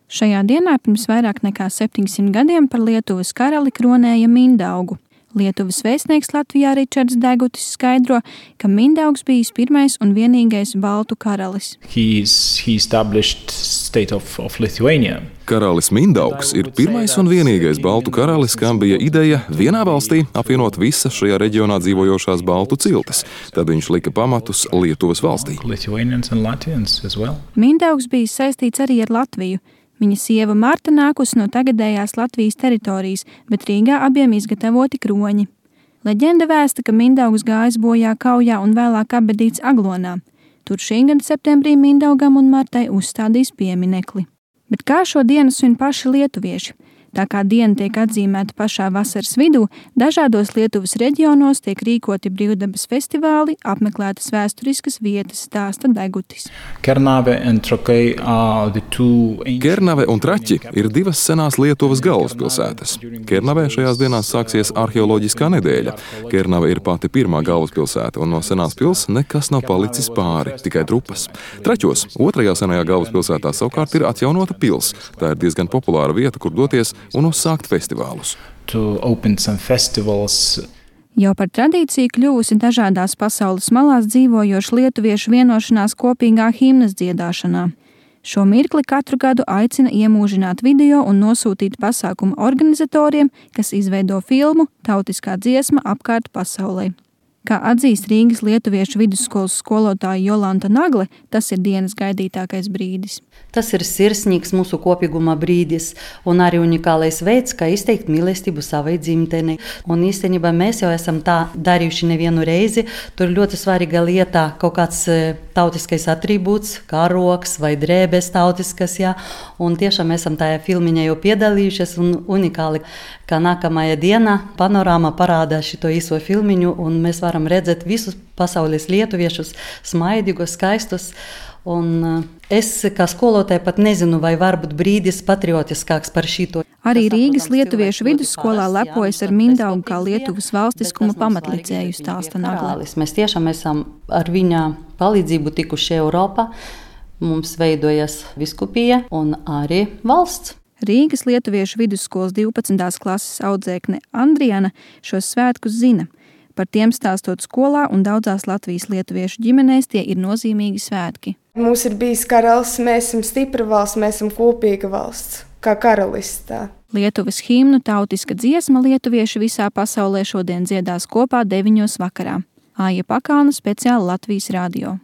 Šajā dienā pirms vairāk nekā 700 gadiem par Lietuvas karali kronēja Mindaugu. Lietuvas vēstnieks Latvijā Ričards Degutis skaidro, ka Mindaugs bijis pirmais un vienīgais baltu karalis. He established state of Lithuania. Karalis Mindaugs ir pirmais un vienīgais baltu karalis, kam bija ideja vienā valstī apvienot visas šajā reģionā dzīvojošās baltu ciltis. Tad viņš lika pamatus Lietuvas valstī. Mindaugs bija saistīts arī ar Latviju. Viņa sieva Marta nākusi no tagadējās Latvijas teritorijas, bet Rīgā abiem izgatavoti kroņi. Leģenda vēsta, ka Mindaugs gājis bojā kaujā un vēlāk apbedīts Aglonā. Tur šī gada septembrī Mindaugam un Martai uzstādīs pieminekli. Bet kā šo dienu svin paši lietuvieši? Tā kā diena tiek atzīmēta pašā vasaras vidū, dažādos Lietuvas reģionos tiek rīkoti brīvdabas festivāli, apmeklētas vēsturiskas vietas, stāsta Degutis. Kernave un Traķi ir divas senās Lietuvas galvaspilsētas. Kernavē šajās dienās sāksies arheoloģiskā nedēļa. Kernave ir pati pirmā galvaspilsēta, un no senās pils nekas nav palicis pāri, tikai trupas. Traķos, otrajā senajā galvaspilsētā savukārt ir atjaunota pils. Tā ir diezgan populāra vieta, kur doties un uzsākt festivālus. Jau par tradīciju kļuvusi dažādās pasaules malās dzīvojošu lietuviešu vienošanās kopīgā himnas dziedāšanā. Šo mirkli katru gadu aicina iemūžināt video un nosūtīt pasākumu organizatoriem, kas izveido filmu Tautiskā dziesma apkārt pasaulē. Kā atzīst Rīgas lietuviešu vidusskolas skolotāja Jolanta Nagle, tas ir dienas gaidītākais brīdis. Tas ir sirsnīgs mūsu kopīguma brīdis un arī unikālais veids, kā izteikt mīlestību savai dzimtenei. Un īstenībā mēs jau esam tā darījuši nevienu reizi. Tur ļoti svarīga lieta kaut kāds tautiskais atribūts, karoks vai drēbes tautiskas, jā. Un tiešām esam tajā filmiņā jau piedalījušies un unikāli, ka nākamajā dienā panorāma parāda šito īso filmiņu un mēs varam redzēt visus pasaules lietuviešus, smaidīgus, skaistus. Un es kā skolotāja pat nezinu, vai varbūt brīdis patriotiskāks par šito. Arī Rīgas lietuviešu vidusskolā lepojas ar Mindaugu kā Lietuvas valstiskuma pamatlicēju, stāsta Nagle. Mēs tiešām esam ar viņa palīdzību tikuši Eiropā. Mums veidojas biskupija un arī valsts. Rīgas lietuviešu vidusskolas 12. klases audzēkne Andriana šos svētkus zina. Par tiem stāstot skolā un daudzās Latvijas lietuviešu ģimenēs tie ir nozīmīgi svētki. Mums ir bijis karalis, mēs esam stipra valsts, mēs esam kopīga valsts, kā karalistā. Lietuvas himnu Tautiska dziesma lietuvieši visā pasaulē šodien dziedās kopā 9 vakarā. Aija Pakāna, speciāli Latvijas radio.